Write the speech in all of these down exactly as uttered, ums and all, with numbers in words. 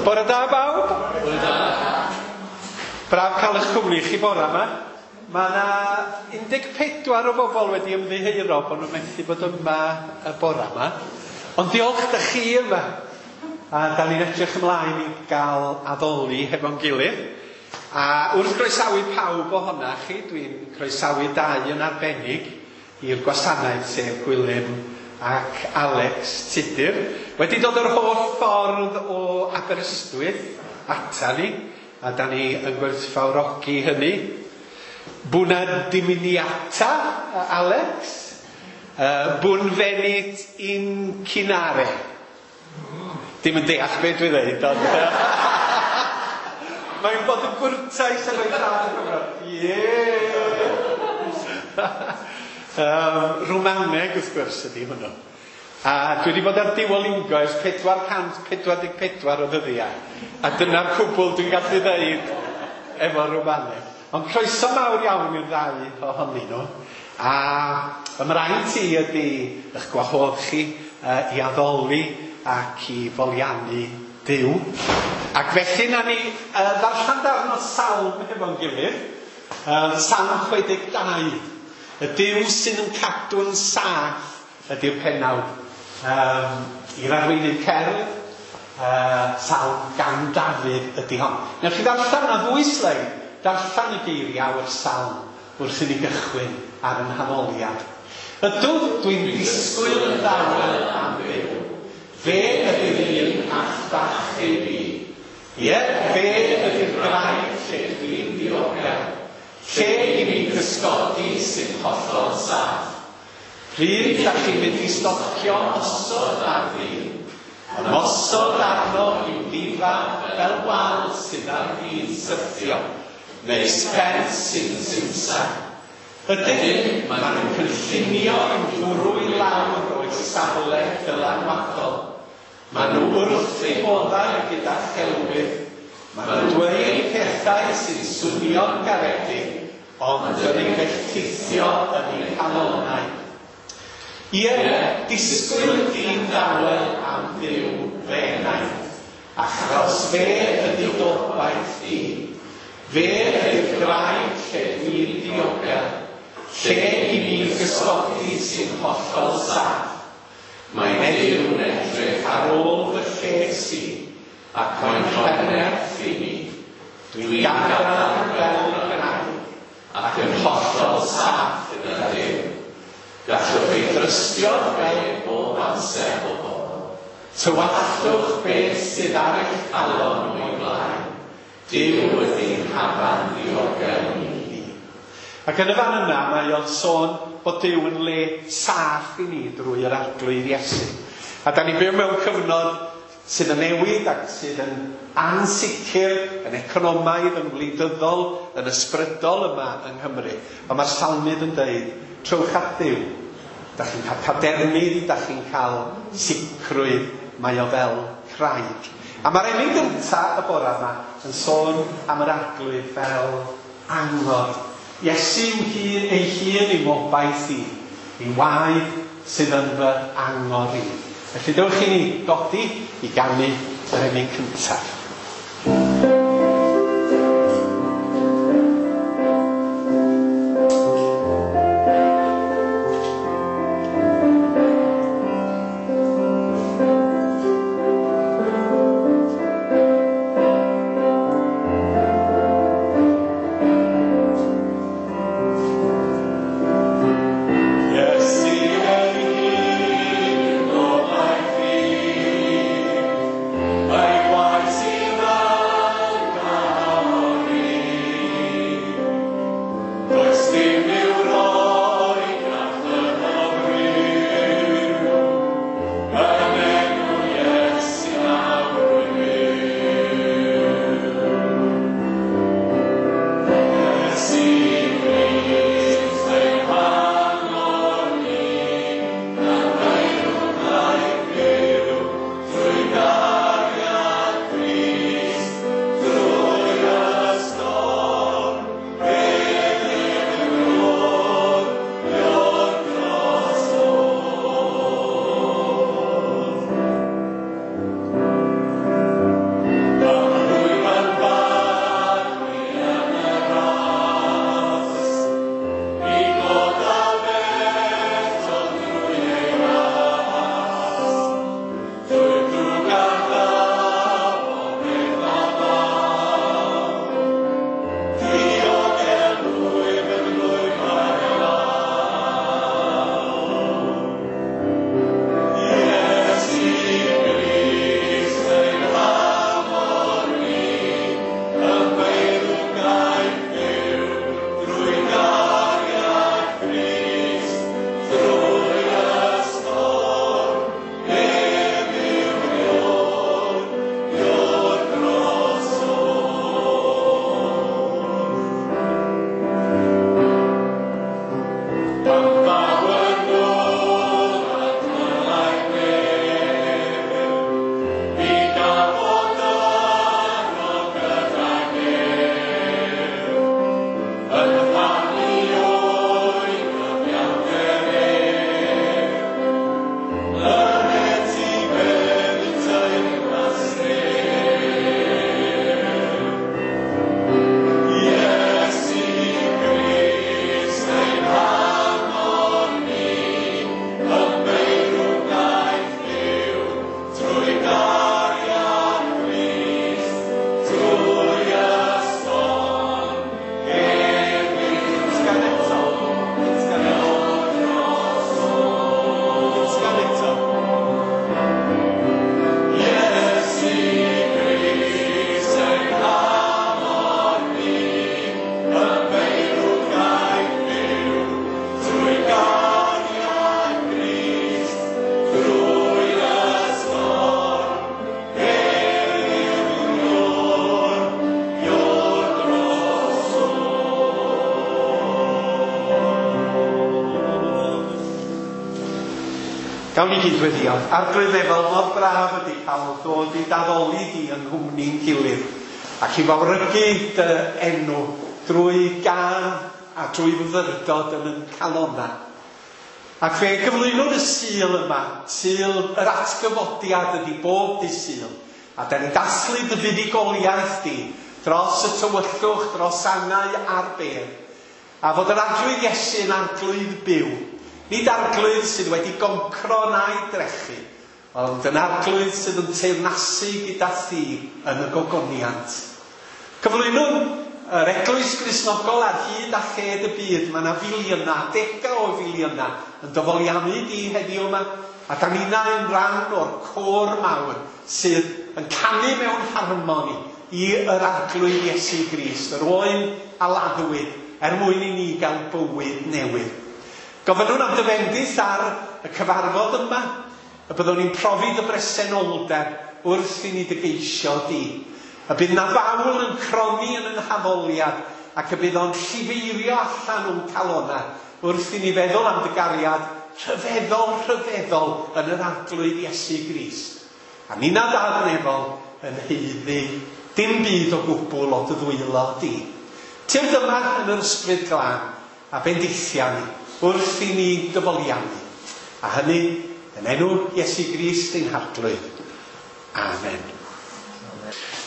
Bore da bawb. Bore da. Braf cael eich cwmni chi bore yma. Mae yna un deg pedwar o bobl wedi ymddiheuro bod nhw'n methu bod yma y bore yma. Ond diolch da chi yma. A da ni'n edrych ymlaen i gael addoli hefo'n gilydd. A wrth groesawu pawb ohona chi, dwi'n croesawu dau yn arbennig i'r gwasanaeth, sef Gwilym ac Alex Tudur. Wedi dod yr holl ffordd o Aberystwyth ata ni, a da ni yn gwerthfawrogi hynny. Bwna diminiata, Alex. Uh, bwn venit in cinare. Dim yn deall beth dwi ddeud, ond... Mae'n bod yn gwrtais ar o'i llaw. Ie! Um, Rwmaneg, wrth gwrs, ydy hwnnw. A dwi wedi bod ar Duolingo ers pedwar cant pedwar deg pedwar o ddyddiau. A dyna'r cwbl dwi'n gallu ddeud efo Rwmaneg. Ond croeso mawr iawn i'r ddau ohonyn nhw. A ymraint i ydy eich gwahodd chi uh, i addoli ac i foliannu Duw. Ac felly na ni uh, ddarllen darn o salm hefo'n gilydd. Uh, Salm chwe deg dau. Y Duw sy'n yn cadw'n saff ydy'r pennawd. Um, i'r arweinydd cerdd, uh, salm gan Dafydd ydy hon. Newch chi ddarllen na ddwy sleid, darllen y geiriau o'r salm wrth i ni gychwyn ar yn hanoliad. Ydw, dwi'n disgwyl yn dawel am Dduw. Fe ydy'r un all i fi. Ie, fe ydy'r graig lle dwi'n ddiogel. Lle i mi gysgodi sy'n hollol saff. Pryd da chi'n mynd i stopio osod ar fi, ymosod arno i'w ddifa fel wal sydd ar fi'n sythio, neu sbent sy'n simsan. Ydyn, maen nhw'n cynllunio i'w bwrw i lawr o'i safle dylanwadol. Maen nhw wrth eu boddau gyda chelwydd. Maen nhw'n dweud pethau sy'n swnio'n garedig, ond yn eu felltithio yn eu calonnau. Ie, disgwyl dyn dawel am Dduw fe wnaeth, achos fe ydy gobaith i. Fe ydy'r graig lle dwi'n ddiogel, lle i mi gysgodi sy'n hollol saff. Mae'n Duw'n edrych ar ôl fy lles i, ac mae'n rhoi nerth i mi. Dwi'n gadarn fel graig, ac yn hollol saff gyda Duw. Gallwch ei drystio fel bob amser. Tywallwch beth sydd ar eich calon o'i blaen. Duw ydy'n hafan ddiogel i ni. Ac yn y fan yna mae o'n sôn bod Duw yn le saff i ni drwy yr Arglwydd Iesu. A da ni'n byw mewn cyfnod sydd yn newid ac sydd yn ansicr, yn economaidd, yn wleidyddol, yn ysbrydol yma yng Nghymru. Ond mae'r salmydd yn dweud, trowch at Dduw. Da chi'n cael cadernid, da chi'n cael sicrwydd, mae o fel craig. A mae'r emyn gyntaf y bore yma yn sôn am yr Arglwydd fel angor. Iesu yw hun ei hun i'w obaith i, i waed sydd yn fy angor i. Felly dewch i ni godi i ganu yr emyn cyntaf. Iesu ei hun, gobaith i, ei waed sydd Gawn ni gyd weddio. Arglwydd efo, mor braf ydy cael dod i daddoli di yng nghwmni'n gilydd ac i fawrygu dy enw drwy gân a drwy fyfyrdod yn yn calonna. Ac fe gyflwynwn y Sul yma, Sul yr atgyfodiad ydy bob dydd Sul. A da ni'n dathlu dy fuddugoliaeth di dros y tywyllwch, dros angau a'r bedd. A fod yr Arglwydd Iesu yn arglwydd byw. Nid arglwydd sydd wedi goncro na'i drechu, ond yn arglwydd sydd yn teyrnasu gyda thi yn y gogoniant. Cyflwynwn yr Eglwys Gristnogol ar hyd a lled y byd. Mae yna filiynau, degau o filiynau yn dyfoliannu di heddiw yma. A da ninnau yn rhan o'r côr mawr sydd yn canu mewn harmoni i yr Arglwydd Iesu Grist, yr oen a laddwyd, er mwyn i ni gael bywyd newydd. Gofynnwn am dy fendith ar y cyfarfod yma, y byddwn ni'n profi dy bresenoldeb wrth i ni dy geisio di. Y bydd na fawl yn cronni yn yn haddoliad ac y bydd o'n llifeirio allan o'n calonna wrth i ni feddwl am dy gariad rhyfeddol, rhyfeddol yn yr Arglwydd Iesu Grist. A nina Dad nefol yn haeddu dim byd o gwbl o dy ddwylo di. Tyrd yma yn yr Ysbryd Glân a bendithia ni wrth i ni dyfoliannu. A hynny yn enw Iesu Grist ein Harglwydd. Amen.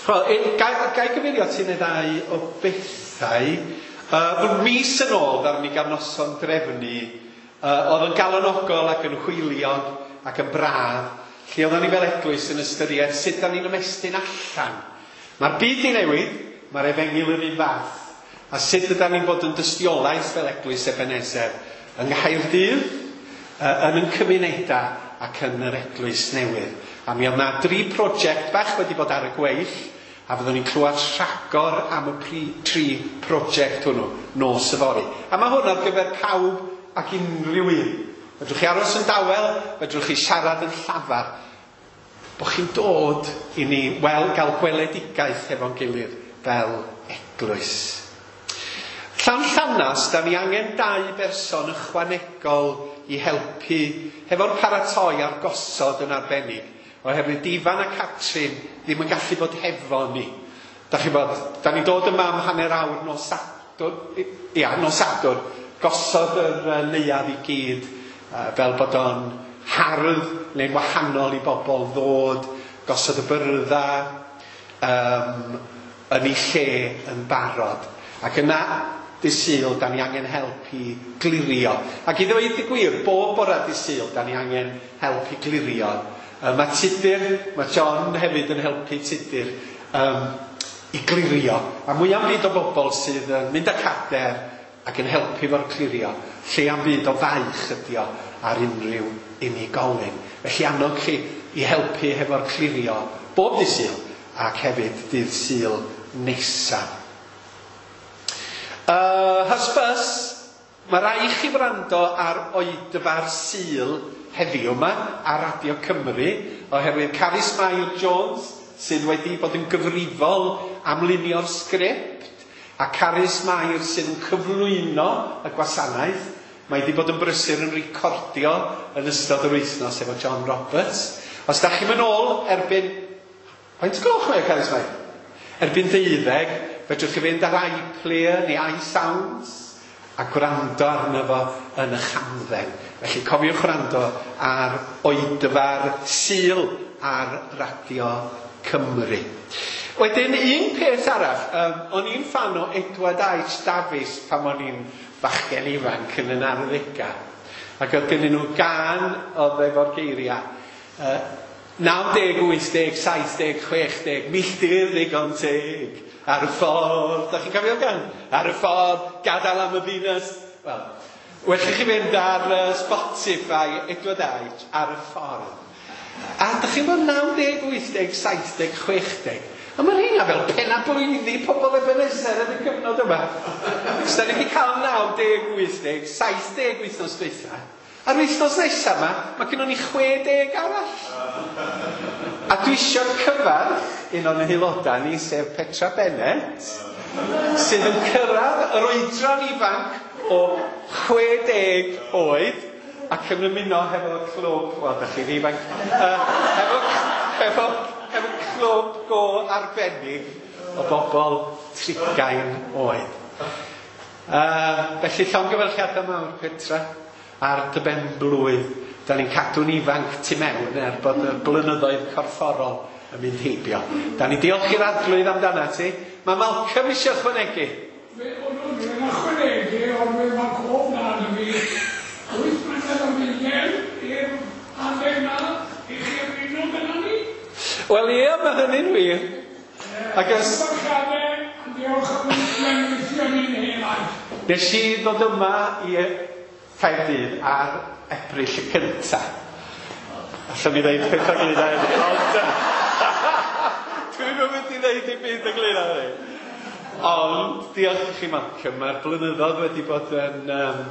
Wel, ga, ga i gyfeirio at un neu ddau o bethau. Uh, mis yn ôl, ddaru ni gael noson drefnu, uh, oedd yn galonogol ac yn hwyliog ac yn braf, lle oedden ni fel eglwys yn ystyried sut da ni'n ymestyn allan. Mae'r byd i newid, mae'r efengyl yr un fath. A sut ydan ni'n bod yn dystiolaeth fel eglwys Ebenezer yng Nghaerdydd, uh, yn yn cymunedau ac yn yr eglwys newydd. A mi oedd na dri prosiect bach wedi bod ar y gweill, a fyddwn ni'n clywed rhagor am y pri, tri prosiect hwnnw nos yfory. A mae hwn ar gyfer pawb ac unrhyw un. Fedrwch chi aros yn dawel, fedrwch chi siarad yn llafar. Bo chi'n dod i ni wel, gael gweledigaeth hefo'n gilydd fel eglwys. Llanllanas, da ni angen dau berson ychwanegol i helpu hefo'r paratoi a'r gosod yn arbennig, oherwydd Ifan a Catrin ddim yn gallu bod hefo ni. Da chi bod, da ni'n dod yma am hanner awr nos Sadwrn, ia, nos Sadwrn, gosod yr neuadd i gyd, fel bod o'n hardd neu'n wahanol i bobl ddod, gosod y byrdda um, yn ei lle yn barod. Ac yna, dydd Sul, da ni angen help i glirio. Ac i ddweud y gwir, bob bore dydd Sul, da ni angen help i glirio. Uh, mae Tudur, mae John hefyd yn helpu Tudur um, i glirio. A mwy am byd o bobl sydd yn mynd â cader ac yn helpu fo'r clirio, lle am byd o faich ydi o ar unrhyw unigolyn. Felly annog chi i helpu hefo'r clirio bob dydd Sul ac hefyd dydd Sul nesaf. Uh, hysbys, mae rai i chi wrando ar oedfa'r Sul heddiw yma ar Radio Cymru, oherwydd Carys Mair Jones sydd wedi bod yn gyfrifol am lunio'r sgript, a Carys Mair sydd yn cyflwyno y gwasanaeth. Mae wedi bod yn brysur yn recordio yn ystod yr wythnos efo John Roberts. Os da chi'n mynd ôl erbyn... Faint gloch mae o, Carys Mair? Erbyn deuddeg, fedrwch chi fynd ar iPlayer neu iSounds a gwrando arno fo yn y hamdden. Felly cofiwch wrando ar oedfa'r Sul ar Radio Cymru. Wedyn, un peth arall, um, o'n i'n ffan o Edward H. Davies pan o'n i'n bachgen ifanc yn yn arddegau. Ac oedd gennyn nhw gân oedd efo'r geiriau. Uh, naw deg, wyth deg, saith deg, chwech deg, milltir ddigon teg. Ar y ffordd, da chi'n cofio'r gân? Ar y ffordd, gadael am y ddinas. Wel, well i chi fynd ar uh, Spotify, Edward H, ar y ffordd. A da chi'n bod naw deg, wyth deg, saith deg, chwech deg. A mae rheina fel penna blwyddi pobl Ebenezer yn y cyfnod yma. Os da ni wedi cael naw deg, wyth deg, saith deg wythnos dwytha. A'r wythnos nesaf yma, mae gennon ni chwe deg arall. A dwi eisiau cyfarch un o'n aelodau ni, sef Petra Bennett, sydd yn cyrraedd yr oedran ifanc o chwe deg oed. ac yn ymuno hefo clwb, wel, da chi'n ifanc, uh, hefo, hefo, hefo clwb go arbennig o bobl trigain oed. Uh, felly llongyfarchiadau mawr, Petra, ar dy ben blwydd. Da ni'n cadw'n ifanc tu mewn er bod y blynyddoedd corfforol yn mynd heibio. Da ni'n diolch i'r Arglwydd amdana ti. Mae Malcolm eisiau ychwanegu. Fe o'n nhw'n ychwanegu, ond fe mae cof na yn fi. Wyth mlynedd ar hugain i'r adeg na i chi ymuno gyda ni. Wel ie, mae hynny'n wir. Ac ys... Diolch am weithio ni'n helaeth. Nes i ddod yma i Caerdydd ar Ebrill y cynta. Allwn ni ddeud peth ynglyn â hynny, ond dwi'm yn mynd i ddeud dim byd ynglyn â hynny. Ond diolch i chi Malcolm, mae'r blynyddoedd wedi bod yn um,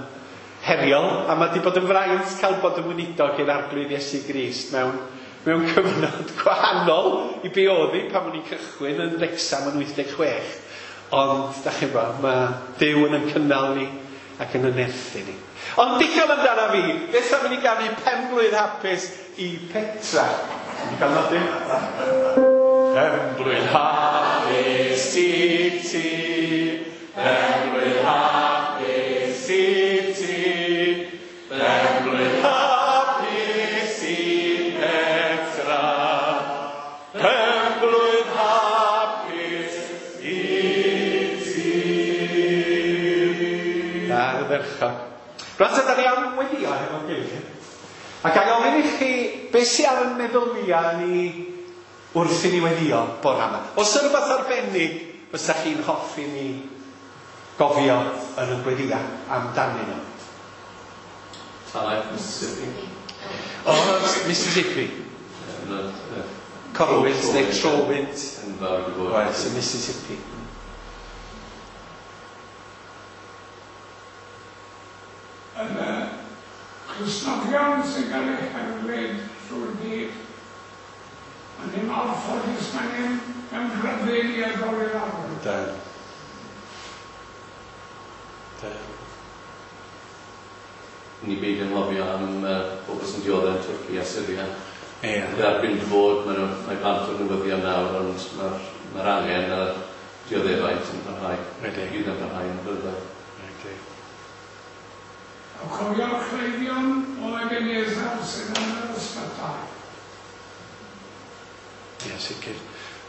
heriol, a mae wedi bod yn fraint cael bod yn weinidog i'r Arglwydd Iesu Grist mewn, mewn cyfnod gwahanol i be oedd hi pan o'n i'n cychwyn yn Wrecsam yn wyth deg chwech. Ond, da chi'n gwybod, mae Duw yn yn cynnal ni ac yn yn nerthu ni. Ond digon amdano fi, beth am i ni ganu pen-blwydd hapus i Petra? Ti'n cael nodyn? Pen-blwydd hapus i ti, pen-blwydd hapus i ti, pen-blwydd hapus i Petra, pen-blwydd hapus i ti. Ardderchog. Rwan ta, da ni am weddio hefo'n gilydd. Ac a gofyn i chi, beth sydd ar yn meddyliau ni wrth i ni weddio bore yma? Oes yna rhywbeth arbennig fysa chi'n hoffi ni gofio yn y gweddiau amdanyn nhw? Talaith Mississippi. O, Mississippi. Corwynt neu Trowynt. Oes, y Mississippi. Yn y Cristnogion sy'n cael eu herlid trwy'r byd, a ni'n anffodus mae ni'n mewn rhyddid i addoli'r Arglwydd. Da. Da. Ni beidio anghofio am uh, bobl sy'n dioddef yn Twrci a Syria. Ie. Derbyn fod, mae, nhw, mae bant o'r newyddion nawr, ond mae'r mae angen a'r dioddefaint yn parhau. Ydy. Bydd yn parhau yn blynyddoedd. Ydy. A cofio'r cleifion o Ebenezer sydd yn yr ysbytai. Ie, sicr.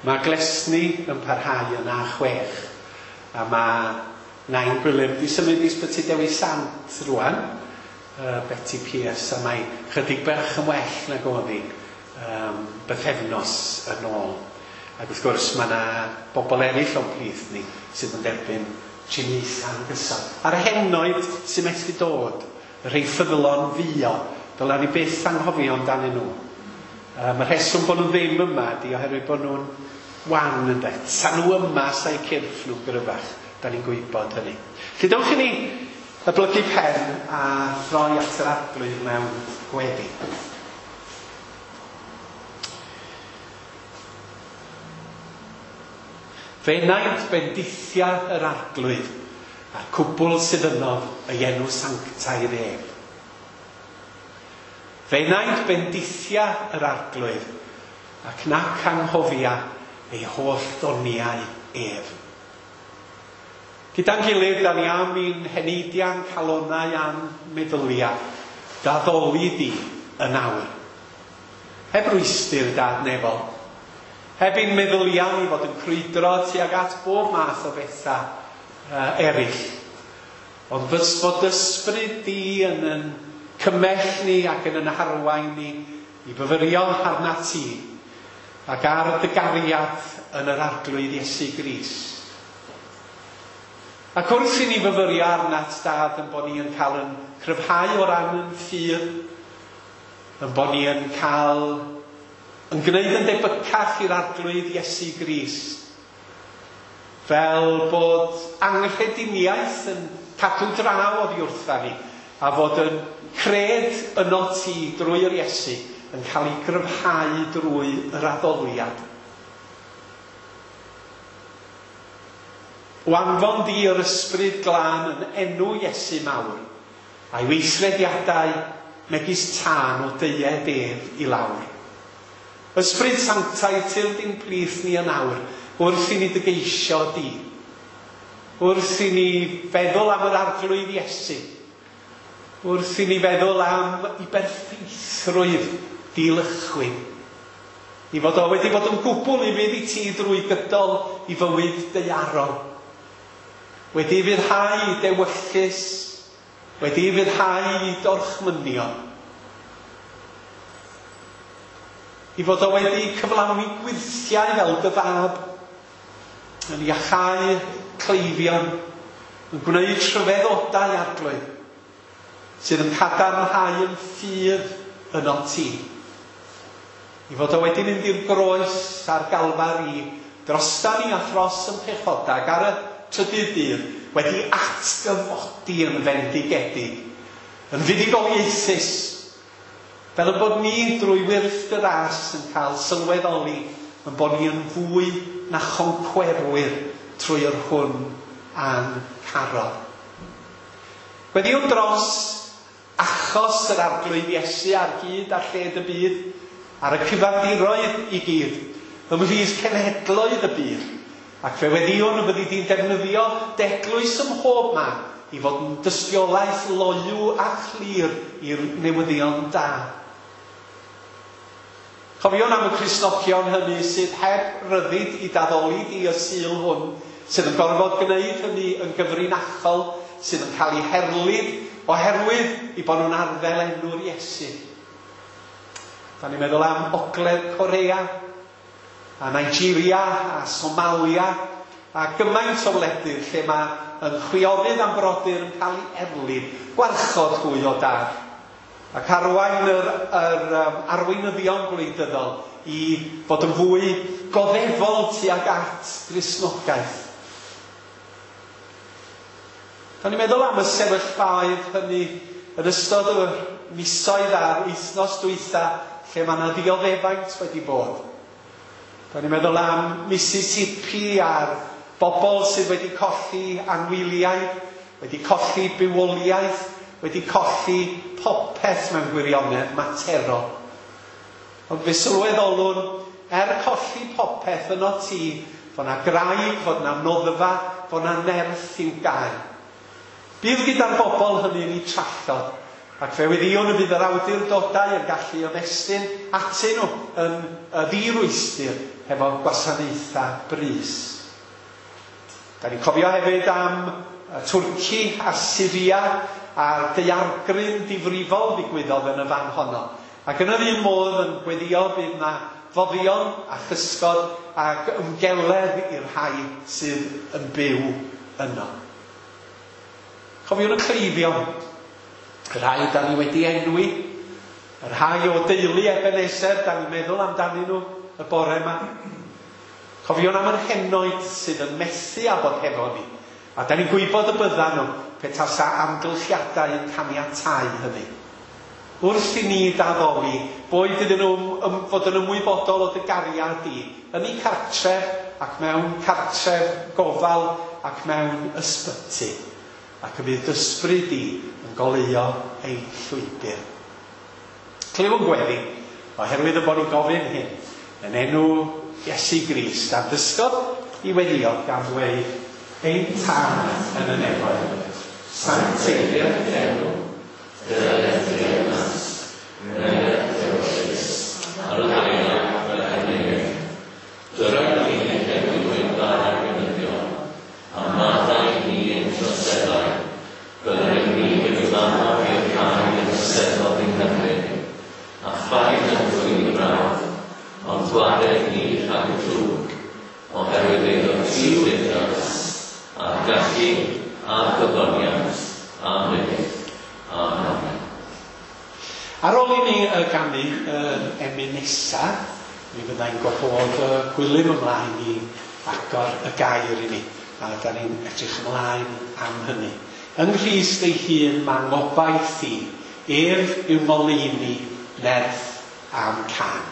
Mae Glesni yn parhau yn A chwech, a mae Nain Gwilym di symud i Ysbyty Dewi Sant rwan, uh, Betty Pierce, a mae chydig bach yn well nag oedd hi um, bythefnos yn ôl. Ac wrth gwrs mae yna bobl eraill o'n plith ni sydd yn derbyn triniaethau yn gyson. A'r henoed sy'n methu dod, y rhai ffyddlon fuo, dyla ni byth anghofio amdanyn nhw. Um, y rheswm bod nhw ddim yma di oherwydd bod nhw'n wan ynde. Sa nhw yma sa'i cyrff nhw'n gryfach. Da ni'n gwybod hynny. Felly dewch i ni blygu pen a throi at yr Arglwydd mewn gweddi. Fe wnaeth bendithia yr Arglwydd a'r cwbl sydd yno ei enw sanctaidd ef. Fe wnaeth bendithia yr Arglwydd ac nac anghofia ei holl ddoniau ef. Gyda'n gilydd, da ni am i'n heneidiau'n calonau a'n meddyliau, d'addoli di yn awr. Heb rwystyr dad nefol, heb i'n meddyliau ni fod yn crwydro tuag at bob math o bethau uh, eraill. Ond fys fod ysbryd di yn yn cymell ni ac yn yn harwain ni i fyfyrio arna ti ac ar dy gariad yn yr Arglwydd Iesu Grist. Ac wrth i ni fyfyrio arnat, Dad, yn bod ni yn cael yn cryfhau o ran yn ffydd, yn bod ni yn cael yn gwneud yn debycach i'r Arglwydd Iesu Grist, fel bod anghrediniaeth yn cadw draw oddi wrtha ni, a fod yn cred yno ti drwy yr Iesu yn cael ei gryfhau drwy yr addoliad. O anfon di yr ysbryd glân yn enw Iesu mawr, a'i weithrediadau megis tân o deued ef i lawr. Ysbryd Sanctaidd, tyrd i'n plith ni yn awr, wrth i ni dy geisio di. Wrth i ni feddwl am yr Arglwydd Iesu. Wrth i ni feddwl am ei berffeithrwydd dilychwyn. I fod o wedi bod yn gwbl ufudd i ti drwy gydol i fywyd daearol. Wedi ufuddhau dewyllys, wedi ufuddhau dorchmynion. I fod o wedi cyflawni gwyrthiau fel dy fab, yn iachau cleifion, yn gwneud rhyfeddodau Arglwydd, sydd yn cadarnhau yn ffydd yno ti. I fod o wedi mynd i'r groes a'r Galfari drosta ni a thros yn pechodag ar y trydydd dydd, wedi atgyfodi yn fendigedig, yn fuddugoliaethus, fel y bod ni drwy wyrth dy ras yn cael sylweddoli yn bod ni yn fwy na choncwerwyr trwy yr hwn a'n carodd. Gweddïwn dros achos yr Arglwydd Iesu ar hyd a lled y byd, ar y cyfandiroedd i gyd, ymhlith cenhedloedd y byd, ac fe weddïwn y byddi di'n defnyddio d'eglwys ym mhob man i fod yn dystiolaeth loyw a chlir i'r newyddion da. Cofiwn am y Cristnogion hynny sydd heb ryddid i d'addoli di y Sul hwn, sydd yn gorfod gwneud hynny yn gyfrinachol, sydd yn cael eu herlid oherwydd i bod nhw'n arddel enw'r Iesu. Da ni'n meddwl am Ogledd Corea, a Nigeria, a Somalia, a gymaint o wledydd lle mae yn chwiorydd am brodyr yn cael ei erlid, gwarchod hwy o dad, ac arwain yr, yr um, arweinyddion gwleidyddol i fod yn fwy goddefol tuag at Gristnogaeth. Da ni'n meddwl am y sefyllfaoedd hynny yn ystod y misoedd a'r wythnos dwytha lle mae yna ddioddefaint wedi bod. Da ni'n meddwl am Mississippi a'r bobl sydd wedi colli anwyliaid, wedi colli bywoliaeth, wedi colli popeth mewn gwirionedd materol. Ond fe sylweddolwn, er colli popeth yno ti, fod na graig, fod na noddfa, fod na nerth i'w gael. Bydd gyda'r bobl hynny yn eu trallod, ac fe weddïwn y bydd yr awdurdodau yn gallu ymestyn atyn nhw yn ddirwystr hefo gwasanaethau brys. Da ni'n cofio hefyd am Twrci a Syria a'r daeargryn difrifol ddigwyddodd yn y fan honno. Ac yn yr un modd yn gweddio bydd na foddion a chysgod ac ymgeledd i'r rhai sydd yn byw yno. Cofiwn y cleifion, y rhai da ni wedi enwi, y rhai o deulu Ebenezer, da ni'n meddwl amdanyn nhw y bore yma. Cofiwn am yr henoed sydd yn methu â bod hefo ni, a da ni'n gwybod y byddan nhw petasa amgylchiadau yn caniatáu hynny. Wrth i ni d'addoli, boed iddyn nhw fod yn ymwybodol o dy gariad di, yn eu cartref ac mewn cartref gofal ac mewn ysbyty, ac y bydd ysbryd di yn goleuo ein llwybr. Clywn gweddi, oherwydd y bod nhw'n gofyn hyn, yn enw Iesu Grist, a ddysgodd i weddio gan ddweud, ein Tad yn y nefoedd, sancteiddier dy enw, dyled dy deyrnas, wneled dy ewyllys, ar y ddaear fel yn y nef. Dyra ni heddiw ein bara beunyddiol, a maddau ni ein troseddau, fel yr ŷm ni wedi maddau i'r rhai yn troseddodd ein herbyn, a phaid â'n dwyn i brawf, ond gwared ni rhag y drwg, oherwydd eiddo ti yw'r deyrnas, a'r gallu, a'r gogoniant, am byth. Amen. Ar ôl i ni ganu yr emyn nesa, mi fyddai'n gwahodd y Gwilym ymlaen i agor y gair i ni, a da ni'n edrych ymlaen am hynny. Yng Nghrist ei hun mae ngobaith i, ef yw ngoleuni, nerth am cân.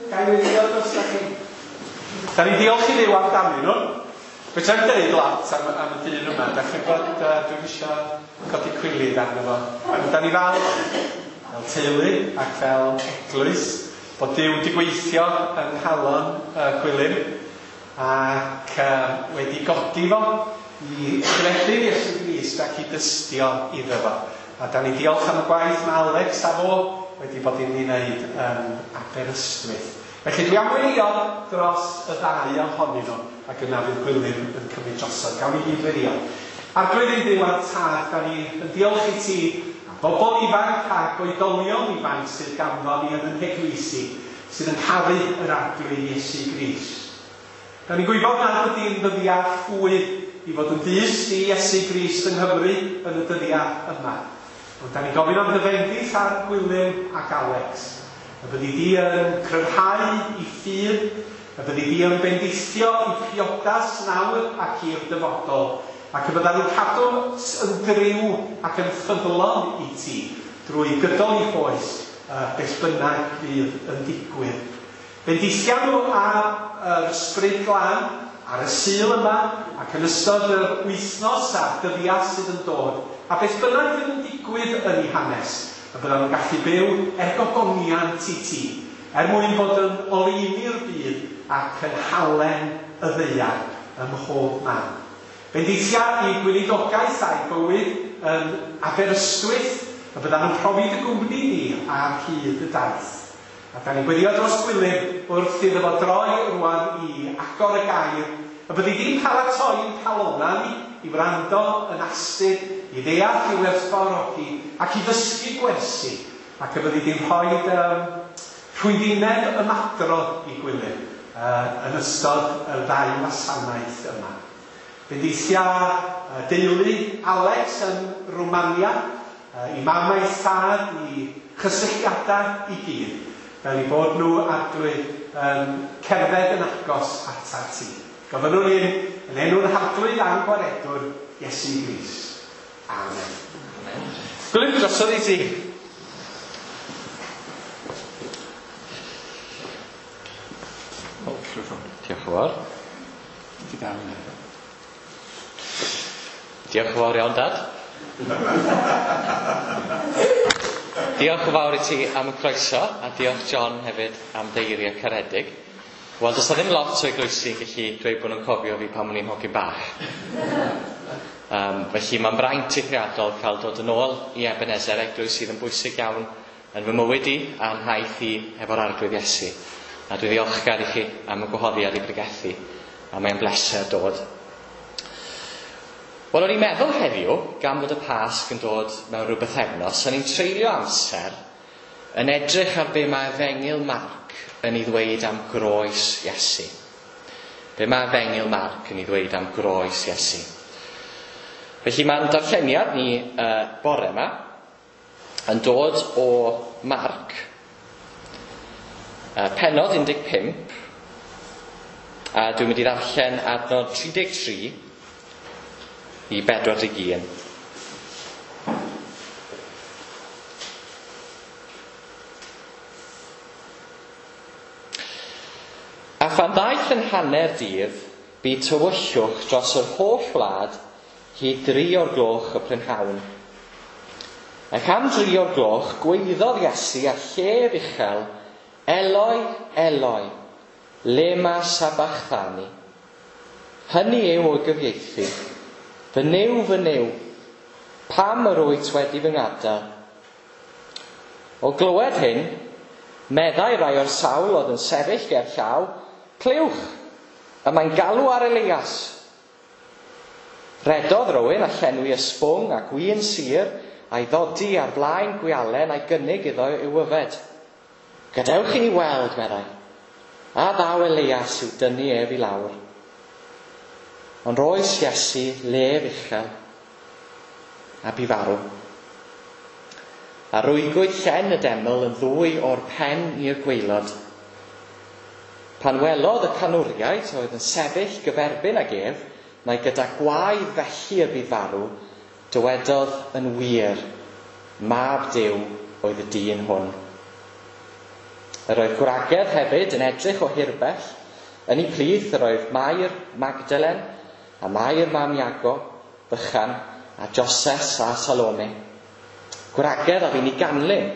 Ga i weddïo drostoch chi? Da ni diolch i Dduw amdanyn nhw. Fedra i'm deud lot am, am y dyn yma. Da chi'n gwybod, uh, dwi'm isio codi cwilydd arno fo. Ond da ni falch fel teulu ac fel eglwys bod Duw wedi gweithio yng nghalon uh, Gwilym ac uh, wedi godi fo i gredu Iesu Grist ac i dystio iddo fo. A da ni diolch am y gwaith mae Alex a fo wedi bod yn ei wneud yn Aberystwyth. Felly dwi am weddïo dros y ddau ohonyn nhw ac yna fydd Gwilym yn cymryd drosodd. Gawn ni gyd weddïo. Arglwydd ein Duw a'n Tad, da ni yn diolch i ti am bobl ifanc ac oedolion ifanc sydd ganddo ni yn ein heglwysi, sydd yn caru yr Arglwydd Iesu Grist. Da ni'n gwybod nad ydy'n ddyddiau rhwydd i fod yn dyst i Iesu Grist yng Nghymru yn y dyddiau yma. Ond da ni'n gofyn am dy fendith ar Gwilym ac Alex. Y byddi di yn cryfhau i ffydd, y byddi di yn bendithio i priodas nawr ac i'r dyfodol, ac y byddan nhw'n cadw yn driw ac yn ffyddlon i ti drwy gydol i oes, uh, beth bynnag fydd yn digwydd. Bendithia nhw ar yr Ysbryd Glân, ar y Sul yma, ac yn ystod yr wythnos a'r dyddiau sydd yn dod, a beth bynnag fydd yn digwydd yn ei hanes, y byddan nhw'n gallu byw er gogoniant i ti, er mwyn bod yn oleuni'r byd ac yn halen y ddaear ym mhob man. Bendithia i gweinidogaeth a'i bywyd yn Aberystwyth, y byddan nhw'n profi dy gwmni ni ar hyd y daith. A da ni'n gweddio dros Gwilym wrth iddo fo droi rwan i agor y gair, y byddi di'n paratoi'n calona ni i wrando yn astud, i ddeall, i werthfawrogi ac i ddysgu gwersi, ac y byddi di'n rhoi um, rhwyddineb ymadrodd i Gwilym uh, yn ystod y ddau wasanaeth yma. Bendithia uh, deulu Alex yn Rwmania, uh, i mam a'i thad, i chysylltiadau i gyd, fel i bod nhw Arglwydd yn cerdded yn agos atat ti. Gofynnwn hyn yn enw'r Arglwydd a'n Gwaredwr, Iesu Grist. Amen. Amen. Gwilym, drosodd i ti. Diolch yn fawr. Ti dal yna. Diolch yn fawr iawn, Dad. Diolch yn fawr i ti am y croeso, a diolch John hefyd am dy eiriau caredig. Wel, does 'na ddim lot o eglwysi yn gallu dweud bod nhw'n cofio fi pan o'n i'n hogyn bach. Um, felly mae'n braint eithriadol cael dod yn ôl i Ebenezer, eglwys sydd yn bwysig iawn yn fy mywyd i a'n nhaith i efo'r Arglwydd Iesu. A dwi ddiolchgar i chi am y gwahoddiad i bregethu, a mae'n bleser dod. Wel, o'n i'n meddwl heddiw, gan fod y Pasg yn dod mewn rhyw bythefnos, o'n i'n treulio amser yn edrych ar be mae Efengyl Marc yn ei ddweud am groes Iesu. Be mae Efengyl Marc yn ei ddweud am groes Iesu. Felly mae'n darlleniad ni uh, bore yma yn dod o Marc, uh, pennod un deg pump, a dwi'n mynd i ddarllen adnod tri deg tri i bedwar deg un. A phan ddaeth yn hanner dydd, bu tywyllwch dros yr holl wlad hyd dri o'r gloch y prynhawn. Ac am dri o'r gloch, gwaeddodd Iesu â llef uchel, Eloi, Eloi, lema sabachthani. Hynny yw o gyfieithu, fy Nuw, fy Nuw, pam yr wyt wedi fy ngadael? O glywed hyn, meddai rai o'r sawl oedd yn sefyll ger llaw, clywch, y mae'n galw ar Elias. Redodd rywun a llenwi ysbwng a gwin sur a'i ddodi ar flaen gwialen a'i gynnig iddo i'w yfed. Gadewch i ni weld, meddai, a ddaw Elias i'w dynnu ef i lawr. Ond roes Iesu lef uchel a bu farw. A rwygwyd llen y deml yn ddwy o'r pen i'r gwaelod. Pan welodd y canwriaid oedd yn sefyll gyferbyn ag ef, mai gyda gwaedd felly y bu farw, dywedodd yn wir, Mab Duw oedd y dyn hwn. Yr oedd gwragedd hefyd yn edrych o hirbell. Yn ei plith yr oedd Mair Magdalen a Mair mam Iago, Bychan, a Joses a Salome. Gwragedd a fu'n ei ganlyn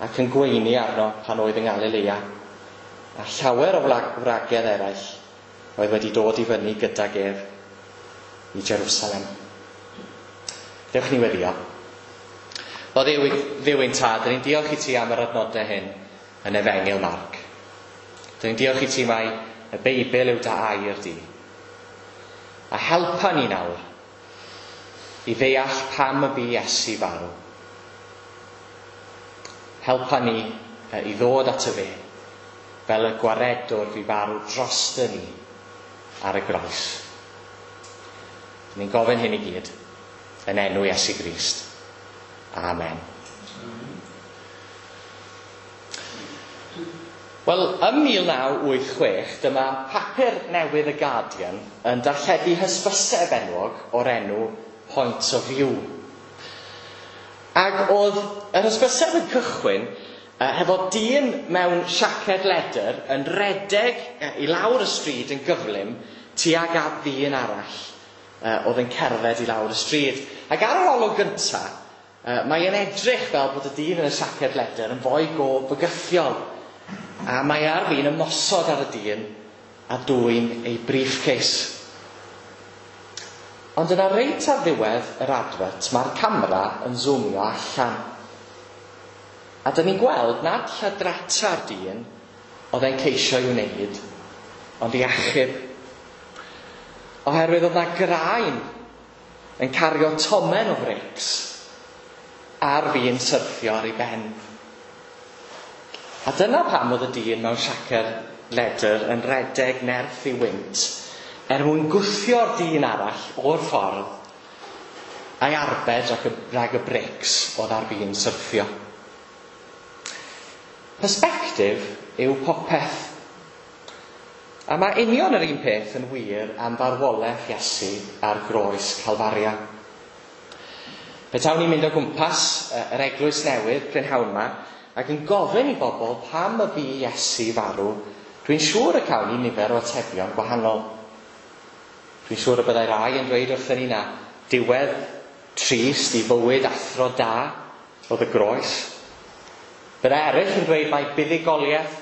ac yn gweini arno pan oedd yng Nghalilea. A llawer o wragedd eraill oedd wedi dod i fyny gydag ef i Jerusalem. Dewch ni weddio. O Dduw, Dduw ein tad, dyn ni'n diolch i ti am yr adnodau hyn yn Efengyl Marc. Dyn ni'n diolch i ti mai y Beibl yw dy air di. A helpa ni nawr i ddeall pam y bu Iesu farw. Helpa ni i ddod at y fe fel y gwaredwr fu farw drosto ni ar y groes. Dyn ni'n gofyn hyn i gyd yn enw Iesu Grist. Amen. Wel, ym mil naw wyth chwech, dyma papur newydd y Guardian yn darlledu hysbyseb enwog o'r enw Point of View. Ac oedd yr hysbyseb yn cychwyn uh, hefo dyn mewn siaced ledr yn redeg uh, i lawr y stryd yn gyflym tuag at ddyn arall uh, oedd yn cerdded i lawr y stryd. Ac ar yr olwg gyntaf, uh, mae'n edrych fel bod y dyn yn y siaced ledr yn foi go bygythiol. A mae ar fin ymosod ar y dyn a dwyn ei briefcase. Ond yna reit ar ddiwedd yr advert, mae'r camera yn zoomio allan. A dyn ni'n gweld nad lladrata'r dyn oedd e'n ceisio i'w wneud, ond i achub. Oherwydd oedd na graen yn cario tomen o frics ar fin syrthio ar ei ben. A dyna pam oedd y dyn mewn siaced ledr yn redeg nerth i wynt er mwyn gwthio'r dyn arall o'r ffordd a'i arbed rhag y, rhag y brics oedd ar fin syrthio. Perspectif yw popeth. A mae union yr un peth yn wir am farwolaeth Iesu ar groes Calfaria. Petawn ni'n mynd o gwmpas yr eglwys newydd prynhawn yma ac yn gofyn i bobl pam y bu Iesu farw, dwi'n siŵr y cawn ni nifer o atebion gwahanol. Dwi'n siŵr y byddai rai yn dweud wrthyn ni na diwedd trist i fywyd athro da oedd y groes. Byddai eraill yn dweud mai buddugoliaeth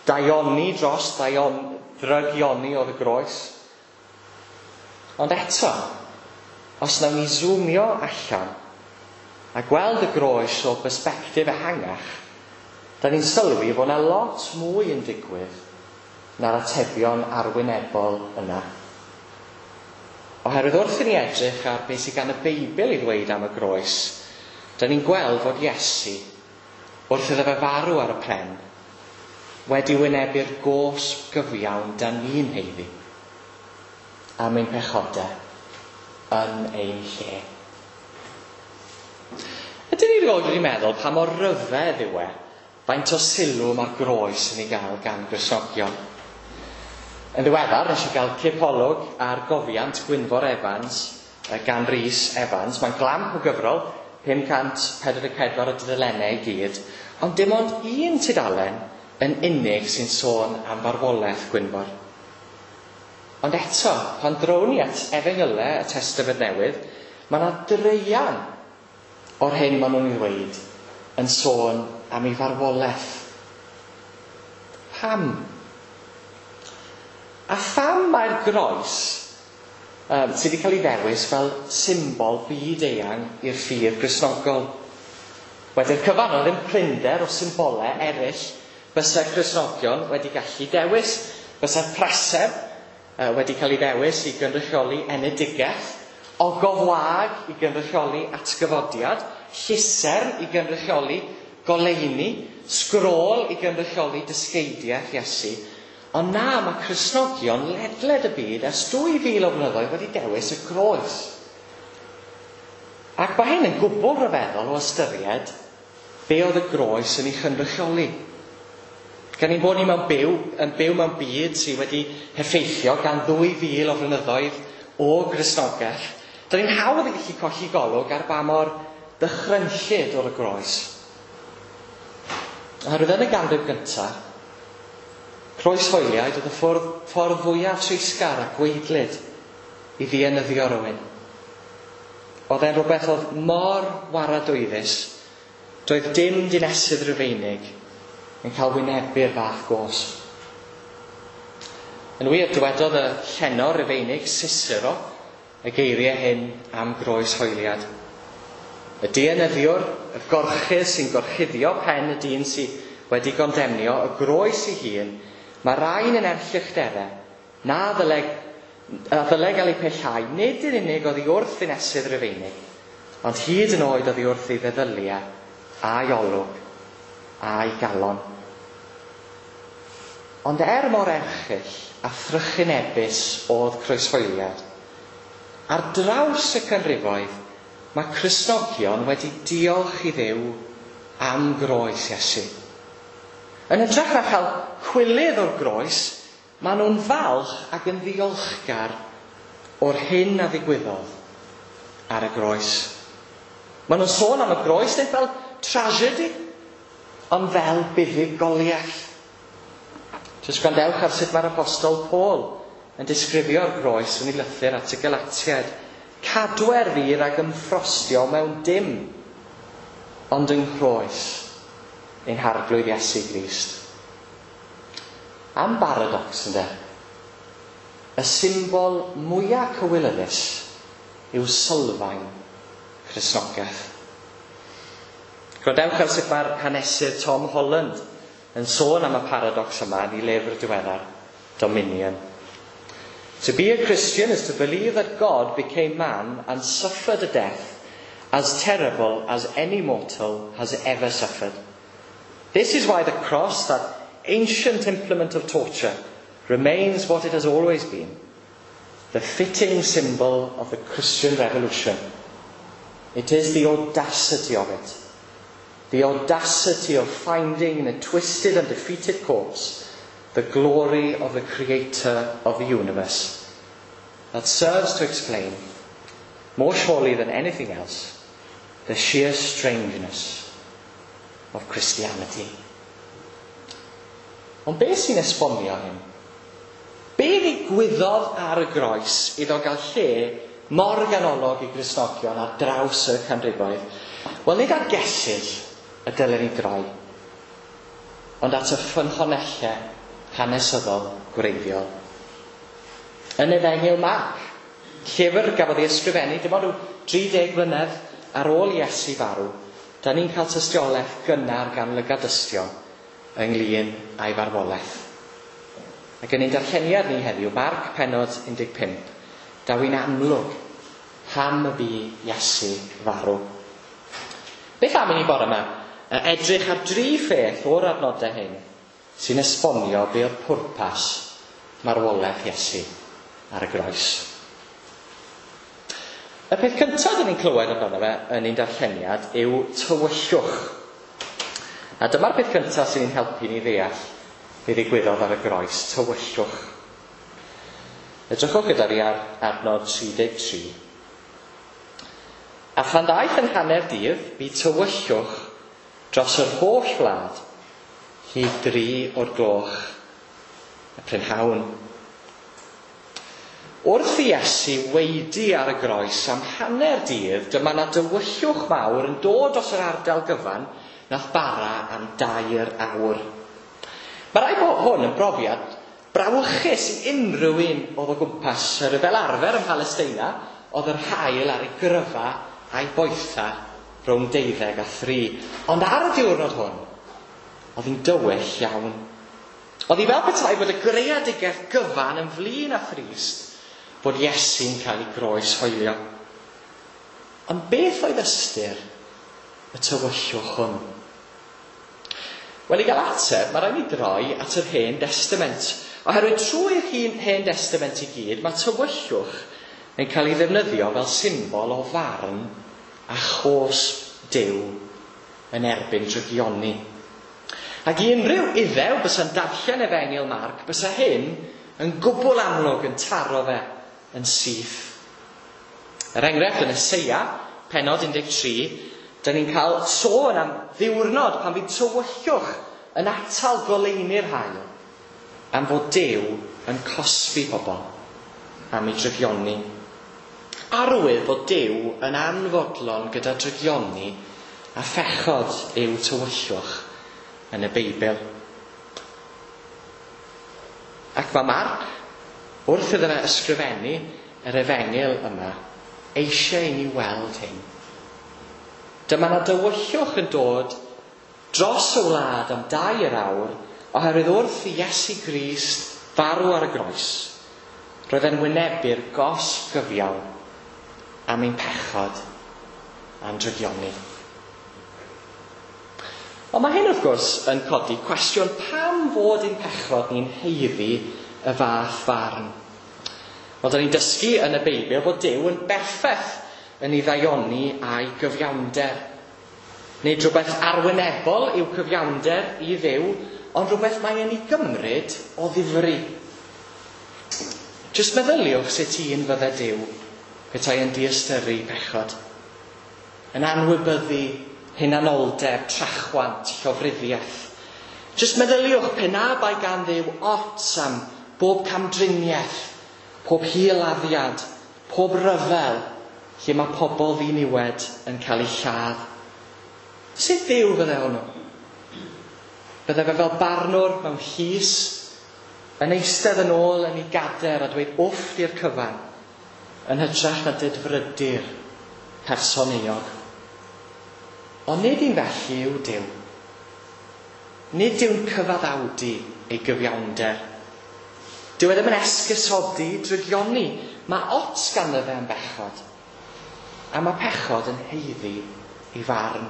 daioni dros daion, ddrygioni oedd y groes. Ond eto, os nawn ni zoomio allan a gweld y groes o bersbectif ehangach, da ni'n sylwi fod yna lot mwy yn digwydd na'r atebion arwynebol yna. Oherwydd wrth i ni edrych ar beth sydd gan y Beibl i ddweud am y groes, da ni'n gweld fod Iesu, wrth iddo fe farw ar y pren, wedi wynebu'r gosb gyfiawn da ni'n haeddu am ein pechodau yn ein lle. Ydyn ni erioed wedi meddwl pa mor ryfedd yw e faint o sylw mae'r groes yn ei gael gan Gristnogion? Yn ddiweddar, nes i gael cipolwg ar gofiant Gwynfor Evans gan Rhys Evans. Mae'n glamp o gyfrol, pum cant pedwar deg pedwar o dudalennau i gyd, ond dim ond un tudalen yn unig sy'n sôn am farwolaeth Gwynfor. Ond eto, pan drown ni at Efengylau y Testament Newydd, mae yna dreian o'r hyn maen nhw'n ei ddweud yn sôn am ei farwolaeth. Pam? A pham mae'r groes um, sydd wedi cael ei ddewis fel symbol byd eang i'r ffydd Gristnogol? Wedi'r cyfan, oedd ddim prinder o symbolau eraill bysa'r Cristnogion wedi gallu dewis. Bysa'r preseb uh, wedi cael ei ddewis i gynrychioli enedigaeth, ogof wag i gynrychioli atgyfodiad, llusern i gynrychioli goleuni, sgrôl i gynrychioli dysgeidiaeth Iesu. Ond na, mae Cristnogion ledled y byd ers dwy fil o flynyddoedd wedi dewis y groes. Ac mae hyn yn gwbl ryfeddol o ystyried be oedd y groes yn ei chynrychioli. Gan ein bod ni mewn byw, yn byw mewn byd sydd wedi heffeithio gan ddwy fil o flynyddoedd o Gristnogaeth, dyn ni'n hawdd yn gallu colli golwg ar ba mor dychrynllyd o'r groes. Oherwydd yn y ganrif gyntaf, croeshoeliaid oedd y ffordd, ffordd fwyaf treisgar a gwaedlyd i ddienyddio rhywun. Oedd e'n rhywbeth oedd mor waradwyddus, doedd dim dinesydd Rufeinig yn cael wynebu'r fath gosb. Yn wir, dywedodd y llenor Rufeinig Cicero y geiriau hyn am groeshoeliad. Y dienyddiwr, y gorchudd sy'n gorchuddio pen y dyn sydd wedi gondemnio, y groes ei hun, mae rhain yn erchyllterau na ddyle, a ddyle gael eu pellhau, nid yn unig oddi wrth ddinesydd Rufeinig, ond hyd yn oed oddi wrth ei feddyliau, a'i olwg, a'i galon. Ond er mor erchyll a thrychinebus oedd croeshoeliad, ar draws y canrifoedd, mae Cristnogion wedi diolch i Dduw am groes Iesu. Yn hytrach na chael chwilydd o'r groes, maen nhw'n falch ac yn ddiolchgar o'r hyn a ddigwyddodd ar y groes. Maen nhw'n sôn am y groes nid fel tragedy, ond fel buddugoliaeth. Jyst gwrandewch ar sut mae'r apostol Paul yn disgrifio'r groes yn ei lythyr at y Galatiaid. Cadwer fi rhag ymffrostio mewn dim, ond yng nghroes ein harglwydd Iesu Grist. Am baradox, ynde? Y symbol mwyaf cywilyddus yw sylfaen Cristnogaeth. Gwrandewch ar sut mae'r hanesydd Tom Holland yn sôn am y paradox yma yn ei lyfr diweddar, Dominion. To be a Christian is to believe that God became man and suffered a death as terrible as any mortal has ever suffered. This is why the cross, that ancient implement of torture, remains what it has always been, the fitting symbol of the Christian revolution. It is the audacity of it, the audacity of finding in a twisted and defeated corpse the glory of the creator of the universe, that serves to explain, more surely than anything else, the sheer strangeness of Christianity. Ond beth sy'n esbonio hyn? Be ddigwyddodd ar y groes iddo gael lle mor ganolog i Gristnogion ar draws y canrifoedd? Wel, nid at gesyll y dylen ni droi, ond at y ffynhonellau hanesyddol gwreiddiol. Yn Efengyl Marc, llyfr gafodd ei ysgrifennu dim ond rhyw dri deg mlynedd ar ôl Iesu farw, da ni'n cael tystiolaeth gynnar gan lygadystion ynglyn â'i farwolaeth. Ac yn ein darlleniad ni heddiw, Marc pennod un deg pump, daw hi'n amlwg pam y bu Iesu farw. Beth am i ni bore yma? Edrych ar dri pheth o'r adnodau hyn sy'n esbonio be oedd pwrpas marwolaeth Iesu ar y groes. Y peth cyntaf dyn ni'n clywed amdano fe yn ein darlleniad yw tywyllwch. A dyma'r peth cyntaf sy'n ein helpu ni ddeall be ddigwyddodd ar y groes, tywyllwch. Edrychwch gyda fi ar adnod tri deg tri. A phan ddaeth yn hanner dydd, bu tywyllwch dros yr holl wlad hyd dri o'r gloch y prynhawn. Wrth i Iesu weidi ar y groes am hanner dydd, dyma na dywyllwch mawr yn dod dros yr ardal gyfan nath bara am dair awr. Mae rai bod hwn yn brofiad brawychus i unrhyw un oedd o gwmpas. Fel arfer ym Mhalesteina, oedd yr haul ar ei gryfa a'i boetha rhwng deuddeg a thri. Ond ar y diwrnod hwn, oedd hi'n dywyll iawn. Oedd hi fel petai bod y greadigaeth gyfan yn flin a thrist bod Iesu'n cael ei groes hoelio. Ond beth oedd ystyr y tywyllwch hwn? Wel, i gael ateb, mae rhaid ni droi at yr Hen Testament. Oherwydd trwy'r Hen Testament i gyd, mae tywyllwch yn cael ei ddefnyddio fel symbol o farn a chosb Duw yn erbyn drygioni. Ac i unrhyw Iddew bysa'n darllen Efengyl Marc, bysa hyn yn gwbl amlwg yn taro fe yn syth. Er enghraifft, yn Eseia, pennod un deg tri, da ni'n cael sôn am ddiwrnod pan fydd tywyllwch yn atal goleuni'r haul am fod Duw yn cosbi pobl am ei drygioni. Arwydd bod Duw yn anfodlon gyda drygioni a phechod yw tywyllwch yn y Beibl. Ac mae Marc, wrth iddo fe ysgrifennu yr efengyl yma, eisiau i ni weld hyn. Dyma 'na dywyllwch yn dod dros y wlad am dair awr, oherwydd wrth i Iesu Grist farw ar y groes, roedd e'n wynebu'r gosb gyfiawn am ein pechod a'n drygioni. Ond mae hyn wrth gwrs yn codi cwestiwn pam fod ein pechod ni'n haeddu y fath farn. Wel, da ni'n dysgu yn y Beibl fod Duw yn berffaith yn ei ddaioni a'i gyfiawnder. Nid rhywbeth arwynebol yw cyfiawnder i Dduw, ond rhywbeth mae e'n ei gymryd o ddifri. Jyst meddyliwch sut un fydde Duw petai yn diystyru pechod, yn anwybyddu hunanoldeb, trachwant, llofruddiaeth. Jyst meddyliwch pe na bai gan Dduw ots am bob camdriniaeth, pob hil-laddiad, pob ryfel lle mae pobl ddiniwed yn cael eu lladd. Sut Dduw fydde hwnnw? Bydde fe fel barnwr mewn llys, yn eistedd yn ôl yn ei gader a dweud wff i'r cyfan, yn hytrach na dedfrydu'r person euog. Ond nid un felly yw Duw. Nid yw'n cyfaddawdu ei gyfiawnder. Dyw e ddim yn esgusodi drygioni. Mae ots ganddo fe am bechod. A mae pechod yn haeddu ei farn.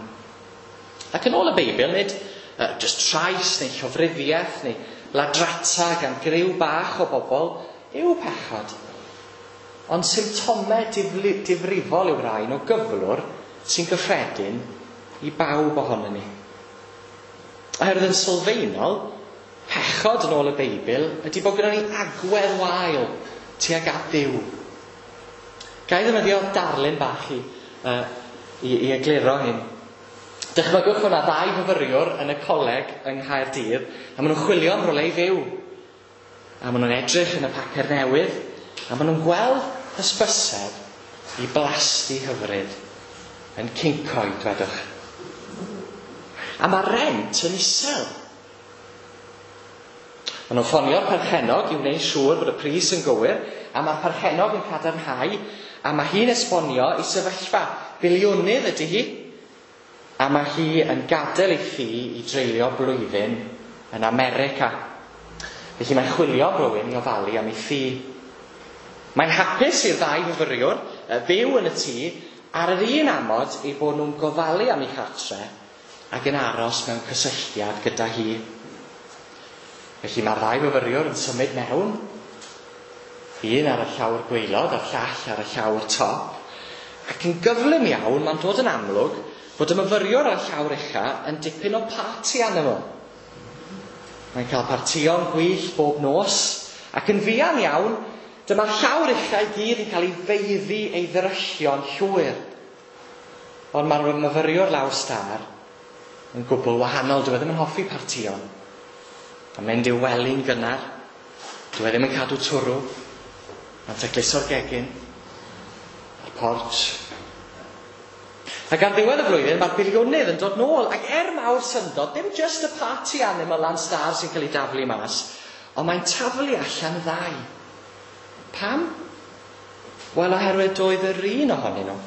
Ac yn ôl y Beibl, nid uh, jyst trais neu llofruddiaeth neu ladrata gan griw bach o bobl yw pechod. Ond symptomau difli, difrifol yw'r rhain o gyflwr sy'n gyffredin i bawb ohonon ni. Oherwydd yn sylfaenol, pechod yn ôl y Beibl ydy bod gyda ni agwedd wael tuag at Dduw. Ga i ddefnyddio darlun bach i, uh, i, i egluro hyn. Dychmygwch fod 'na ddau fyfyriwr yn y coleg yng Nghaerdydd a maen nhw'n chwilio am rywle i fyw. A maen nhw'n edrych yn y papur newydd a maen nhw'n gweld hysbyseb i blasty hyfryd yn Cyncoed, dwedwch. A mae rent yn isel. Maen nhw'n ffonio'r perchennog i wneud siŵr bod y pris yn gywir, a mae'r perchennog yn cadarnhau, a mae hi'n esbonio i sefyllfa. Biliwnydd ydy hi, a mae hi yn gadael ei thŷ i dreulio blwyddyn yn America. Felly mae'n chwilio am rywun i ofalu am ei thŷ. Mae'n hapus i'r ddau fyfyriwr fyw yn y tŷ ar yr un amod eu bod nhw'n gofalu am ei chartre ac yn aros mewn cysylltiad gyda hi. Felly mae'r ddau fyfyriwr yn symud mewn, un ar y llawr gwaelod a'r llall ar y llawr top, ac yn gyflym iawn mae'n dod yn amlwg bod y myfyriwr ar y llawr ucha yn dipyn o party animal. Mae'n cael partïon gwyllt bob nos, ac yn fuan iawn, dyma'r llawr ucha i gyd yn cael ei feiddi ei ddryllio'n llwyr. Ond mae'r myfyriwr lawr stâr yn gwbl wahanol. Dyw e ddim yn hoffi partïon. Mae'n mynd i'w wely'n gynnar. Dyw e ddim yn cadw twrw. Mae'n tacluso'r gegin a'r porch. Ac ar ddiwedd y flwyddyn, mae'r biliwnydd yn dod nôl, ac er mawr syndod, dim just y party animal lan stâr sy'n cael ei daflu mas, ond mae'n taflu allan y ddau. Pam? Wel, oherwydd doedd yr un ohonyn nhw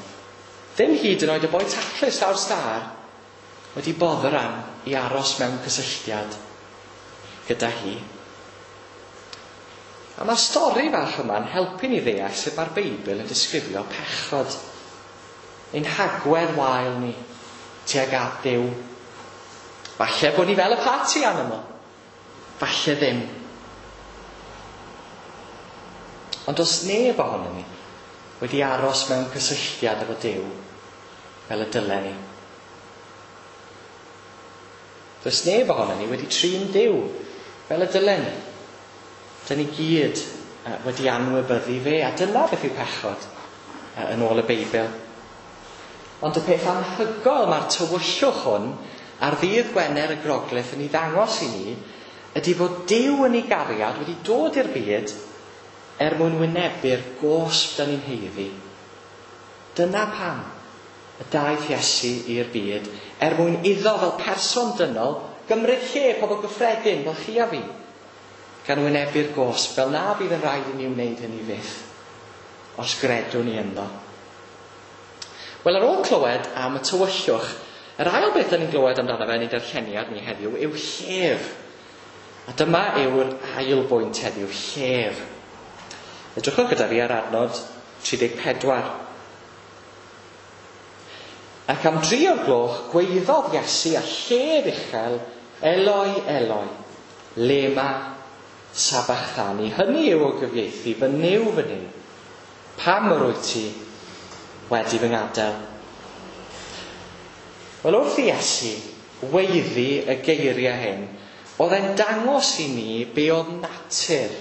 ddim hyd yn oed y boi taclus lawr stâr wedi boddran i aros mewn cysylltiad gyda hi. A mae'r stori fach yma'n helpu ni ddeall sut mae'r Beibl yn disgrifio pechod. Ein hagwedd wael ni tuag at Dduw. Falle bod ni fel y party animal. Falle ddim. Ond does neb ohonon ni wedi aros mewn cysylltiad efo Duw fel y dylen ni. Does neb ohonon ni wedi trin Duw fel y dylen ni. Dyn ni gyd wedi anwybyddu fe, a dyna beth yw pechod yn ôl y Beibl. Ond y peth anhygoel mae'r tywyllwch hwn ar ddydd Gwener y Groglith yn ei ddangos i ni ydy fod Duw yn ei gariad wedi dod i'r byd er mwyn wynebu'r gosb dan ni'n haeddu. Dyna pam y daeth Iesu i'r byd, er mwyn iddo fel person dynol gymryd lle pobl gyffredin fel chi a fi, gan wynebu'r gosb fel na bydd yn rhaid i ni wneud hynny fyth, os gredwn ni ynddo. Wel, ar ôl clywed am y tywyllwch, yr ail beth da ni'n glywed amdano fe yn ei darlleniad ni heddiw yw llef. A dyma yw'r ail bwynt heddiw, llef. Edrychwch gyda fi ar adnod tri deg pedwar. Ac am dri o'r gloch gweiddodd Iesu a llef uchel, Eloi, Eloi, lema sabachthani. Hynny yw o gyfieithu, fy Nuw, fy Nuw, pam yr wyt ti wedi fy ngadael? Wel, wrth i Iesu weiddi y geiriau hyn, oedd e'n dangos i ni be oedd natur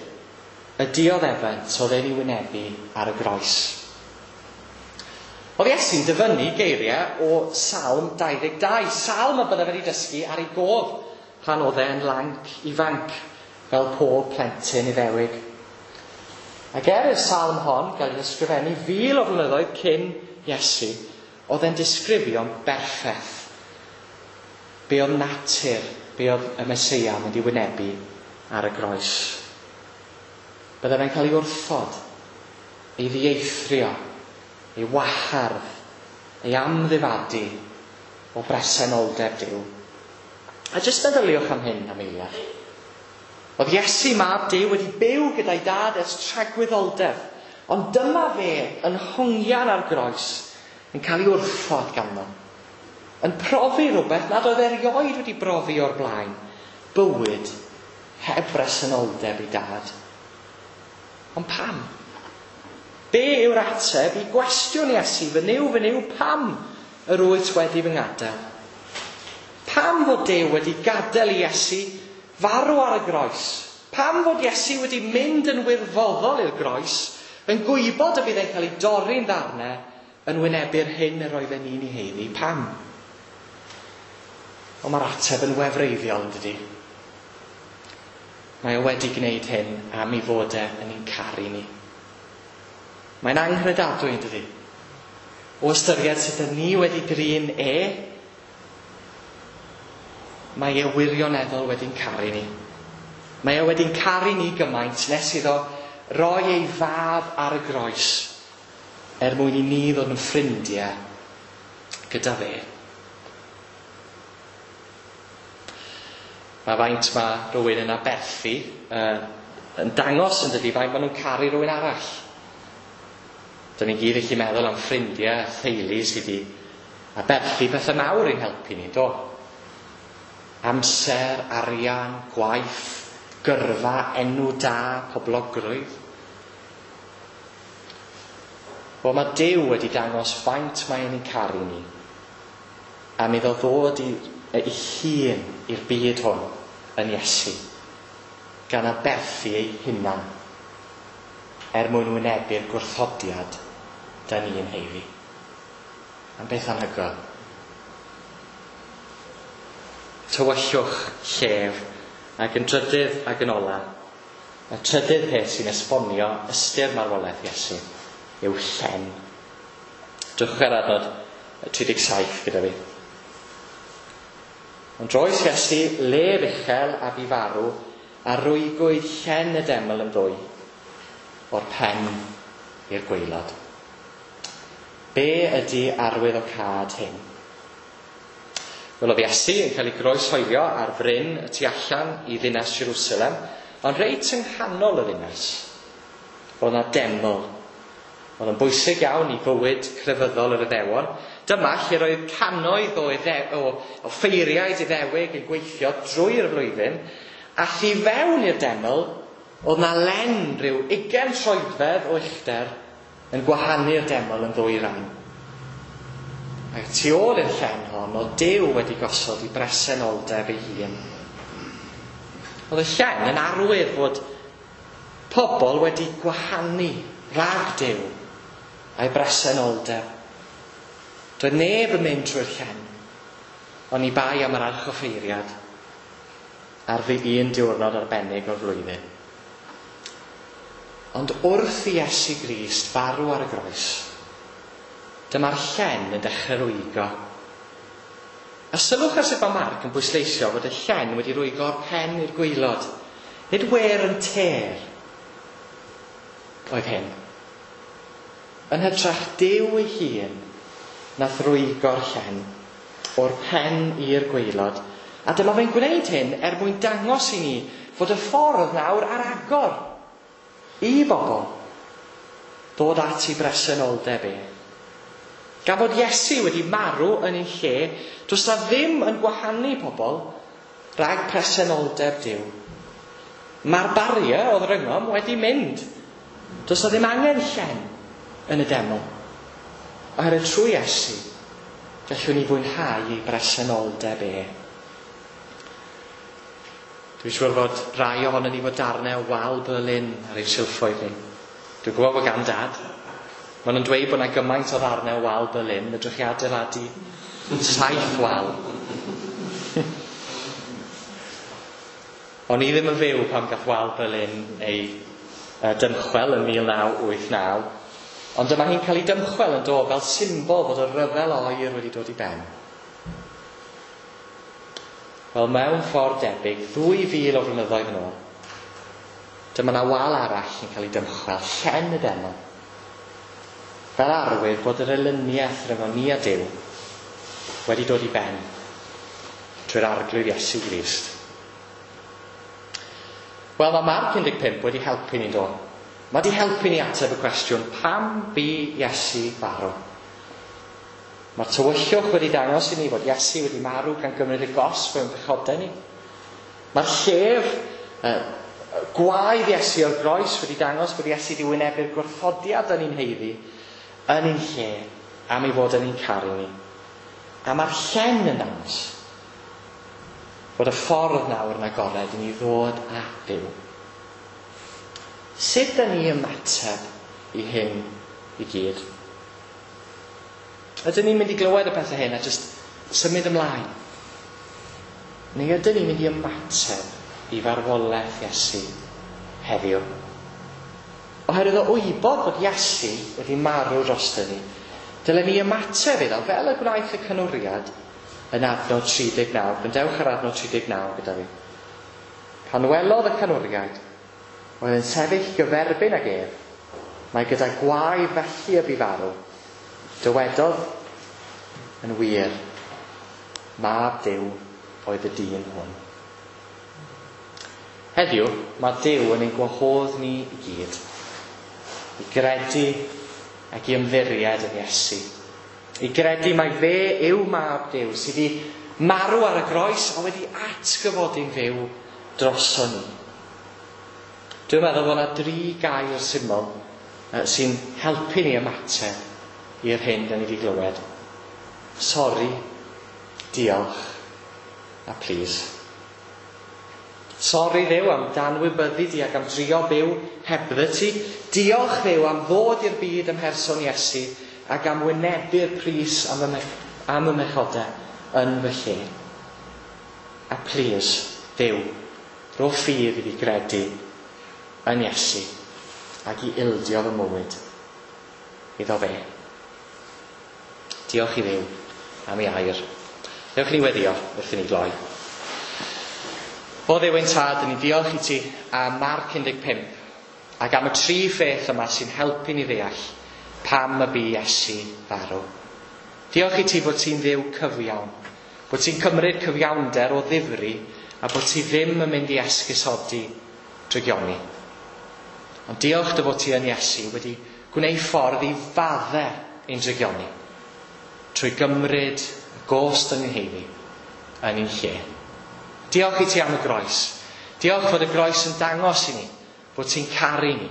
y dioddefant oedd e'n ei wynebu ar y groes. Oedd Iesu'n dyfynnu geiriau o Salm dau ddeg dau, salm y bydde wedi dysgu ar ei gof pan oedd e'n lanc ifanc, fel pob plentyn Iddewig. Ac er i'r salm hon gael ei ysgrifennu fil o flynyddoedd cyn Iesu, oedd e'n disgrifio'n berffaith be oedd natur, be oedd y Meseia mynd i wynebu ar y groes. Bydde fe'n cael ei wrthod, ei ddieithrio, ei wahardd, ei amddifadu o bresenoldeb Duw. A jyst meddyliwch am hyn am eiliad. Oedd Iesu mab Duw wedi byw gyda'i dad ers tragwyddoldeb, ond dyma fe yn hongian ar groes, yn cael ei wrthod ganddo, yn profi rhywbeth nad oedd erioed wedi brofi o'r blaen, bywyd heb bresenoldeb ei dad. Ond pam? Be yw'r ateb i gwestiwn Iesu, fy Nuw, fy Nuw, pam yr wyt wedi fy ngadael? Pam fod Duw wedi gadael i Iesu farw ar y groes? Pam fod Iesu wedi mynd yn wirfoddol i'r groes, yn gwybod y bydd e'n cael ei dorri'n ddarnau, yn wynebu'r hyn yr oedden ni'n ei haeddu? Pam? Ond mae'r ateb yn wefreiddiol, yn dydi? Mae o wedi gwneud hyn am ei fod e yn ein caru ni. Mae'n anghredadwy, yn dydi? O ystyried sut ydyn ni wedi drin e, mae e wirioneddol wedi'n caru ni. Mae e wedi'n caru ni gymaint nes iddo roi ei fab ar y groes er mwyn i ni ddod yn ffrindiau gyda fe. Mae faint mae rhywun yn aberthu uh, yn dangos yn dydi faint maen nhw'n caru rhywun arall. Dyna ni gyd eich meddwl am ffrindiau a theulu sydd wedi aberthu pethau mawr i'n helpu ni, do? Amser, arian, gwaith, gyrfa, enw da, poblogrwydd. Wel, mae Duw wedi dangos faint mae e'n ein caru ni, am iddo ddod i, ei hun i'r byd hwn yn Iesu, gan aberthu ei hunan er mwyn wynebu'r gwrthodiad da ni'n haeddu. Am beth anhygoel. Tywyllwch, llef, ac yn trydydd ac yn ola, y trydydd peth sy'n esbonio ystyr marwolaeth Iesu yw llen. Drychwch ar adnod tri deg saith gyda fi. Ond roes Iesu lef uchel a bu farw, a rwygwyd llen y deml yn ddwy, o'r pen i'r gwaelod. Be ydy arwydd o cad hyn? Wel, oedd Iesu yn cael ei groeshoelio ar fryn y tu allan i ddinas Jerusalem, ond reit yng nghanol y ddinas, oedd yna deml. Oedd yn bwysig iawn i fywyd crefyddol yr Iddewon. Dyma lle roedd cannoedd o, idde, o, o ffeiriaid Iddewig yn gweithio drwy'r flwyddyn, a thu fewn i'r deml, oedd na len rhyw ugain troedfedd o uchder yn gwahanu'r deml yn ddwy ran. Ac tu ôl i'r llen hon, oedd Duw wedi gosod i bresenoldeb ei hun. Oedd y llen yn arwydd fod pobl wedi gwahanu rhag Duw a'i bresenoldeb. Doedd neb yn mynd trwy'r llen. Oni bai am yr archoffeiriad ar ddi un diwrnod arbennig o'r flwyddyn. Ond wrth i Iesu Grist farw ar y groes, dyma'r llen yn dechrau rwygo. A sylwch ar sut mae Marc yn pwysleisio fod y llen wedi rwygo o'r pen i'r gwaelod. Nid wear and tear oedd hyn. Yn hytrach Duw ei hun nath rwygo'r llen o'r pen i'r gwaelod. A dyma fe'n gwneud hyn er mwyn dangos i ni fod y ffordd nawr ar agor i bobl ddod at ei bresenoldeb e. Gan fod Iesu wedi marw yn ein lle, does na ddim yn gwahanu pobl rhag presenoldeb Duw. Mae'r barrier oedd rhyngom wedi mynd. Does na ddim angen llen yn y deml. Oherwydd trwy Iesu, gallwn ni fwynhau ei bresenoldeb e. Dwi'n siŵr fod rai ohonon ni fod darnau o wal Berlin ar ein silffoedd ni. Dwi'n gwybod bod gan dad. Maen nhw'n dweud bod yna gymaint o ddarnau o wal Berlin, fedrwch chi adeiladu saith wal. O'n i ddim yn fyw pan gath wal Berlin ei uh, dymchwel yn mil naw wyth naw, ond dyma hi'n cael ei dymchwel yn dod fel symbol fod y rhyfel oer wedi dod i ben. Wel, mewn ffordd debyg, ddwy fil o flynyddoedd yn ôl, dyma na wal arall yn cael ei dymchwel, llen y deml, fel arwydd bod yr elyniaeth rhwng ni a Duw wedi dod i ben trwy'r Arglwydd Iesu Grist. Wel, mae Marc un deg pump wedi helpu ni, do. Mae wedi helpu ni ateb y cwestiwn, pam bu Iesu farw? Mae'r tywyllwch wedi dangos i ni fod Iesu wedi marw gan gymryd y gosb mewn pechodau ni. Mae'r llef uh, gwaedd Iesu o'r groes wedi dangos bod Iesu wedi wynebu'r gwrthodiad yn ein heiddi, yn ein lle, am ei fod yn ein caru ni. A mae'r llen yn dangos fod y ffordd nawr yn agored i ni ddod at Dduw. Sut da ni ymateb i hyn i gyd? Ydyn ni'n mynd i glywed y pethau hyn a jyst symud ymlaen? Neu ydyn ni'n mynd i ymateb i farwolaeth Iesu heddiw? Oherwydd o wybod bod Iesu wedi marw drosto ni, dylen ni ymateb iddo fel y gwnaeth y canwriad yn adnod tri deg naw. Gwrandewch ar adnod tri deg naw gyda fi. Pan welodd y canwriad, oedd yn sefyll gyferbyn ag ef, mae gyda gwae felly y bu farw. Dywedodd yn wir, mab Duw oedd y dyn hwn. Heddiw, mae Duw yn ein gwahodd ni i gyd i gredu ac i ymddiried yn Iesu. I gredu mai fe yw mab Duw sydd wedi marw ar y groes a wedi atgyfodi'n fyw droso ni. Dwi'n meddwl bod yna dri gair syml sy'n helpu ni ymateb i'r hyn da ni wedi glywed. Sori, diolch, a please. Sori Dduw am danwybyddu di ac am drio byw hebddo ti. Diolch Dduw am ddod i'r byd ym mherson Iesu ac am wynebu'r pris am y, am y mechodau yn fy lle. A please, Dduw, rho ffydd i fi gredu yn Iesu ac i ildio fy mywyd iddo fe. Diolch i Dduw am ei air. Dewch i ni weddio wrth i ni gloi. O Dduw ein tad, ni diolch i ti am Marc un deg pump ac am y tri pheth yma sy'n helpu ni ddeall pam y bu Iesu farw. Diolch i ti bod ti'n Dduw cyfiawn, bod ti'n cymryd cyfiawnder o ddifri a bod ti ddim yn mynd i esgusodi drygioni. Ond diolch dy fod ti yn Iesu wedi gwneud ffordd i fadde ein drygioni trwy gymryd y gost yn ein heiddi yn ein lle. Diolch i ti am y groes. Diolch fod y groes yn dangos i ni bod ti'n caru ni.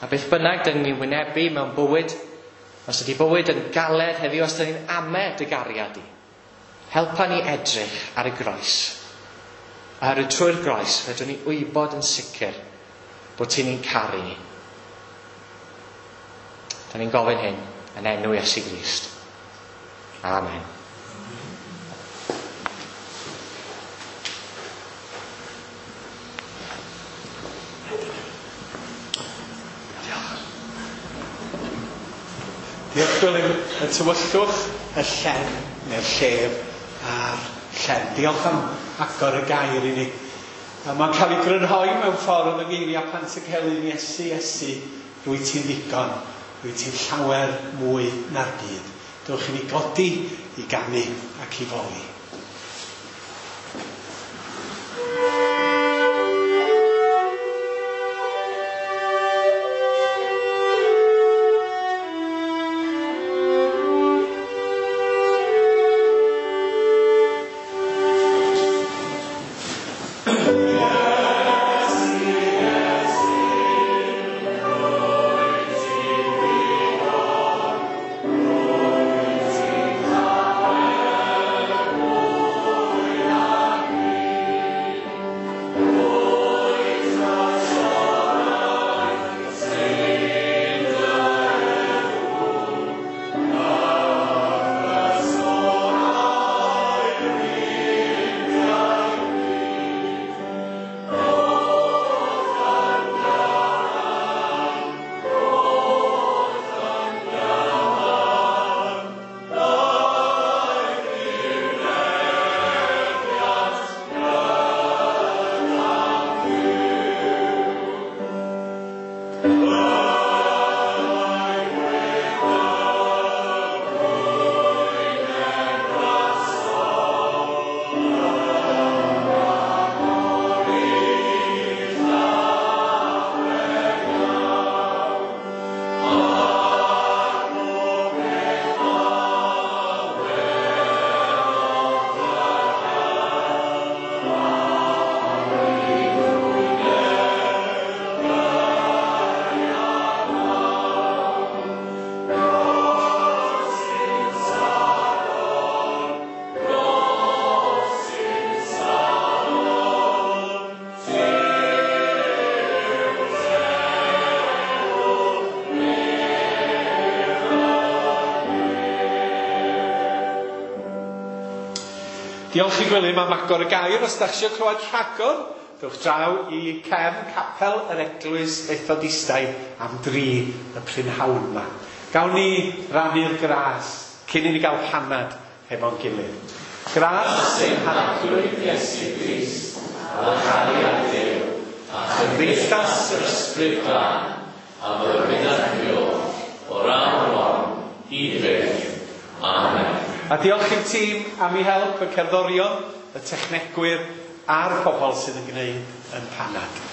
A beth bynnag dyn ni'n wynebu mewn bywyd, os ydy bywyd yn galed heddiw, os dyn ni'n ame dy gariad di, helpa ni edrych ar y groes. Oherwydd trwy'r groes, fedrwn ni wybod yn sicr bod ti'n ni'n caru ni. Da ni'n gofyn hyn yn enw Iesu Grist. Amen. Diolch Gwilym, y tywyllwch, y llen, neu'r llef a'r llen. Diolch am agor y gair i ni. A mae'n cael ei grynhoi mewn ffordd yng ngeiriau Pantycelyn, Iesu, Iesu, rwyt ti'n ddigon, rwyt ti'n llawer mwy na'r byd. Dewch i ni godi i ganu ac i foli. Diolch i Gwilym am agor y gair. Os da chi eisiau clywed rhagor, dewch draw i cefn capel yr Eglwys Fethodistaidd am dri y prynhawn yma. Gawn ni rannu'r gras cyn i ni gael panad hefo'n gilydd. Gras ein Harglwydd Iesu Grist, a chariad Duw, a chymdeithas yr Ysbryd Glân, a fydd byw o'r awr hon hyd byth. Amen. A diolch i'r tîm am ei help, y cerddorion, y technegwyr a'r pobl sydd yn gwneud yn panad.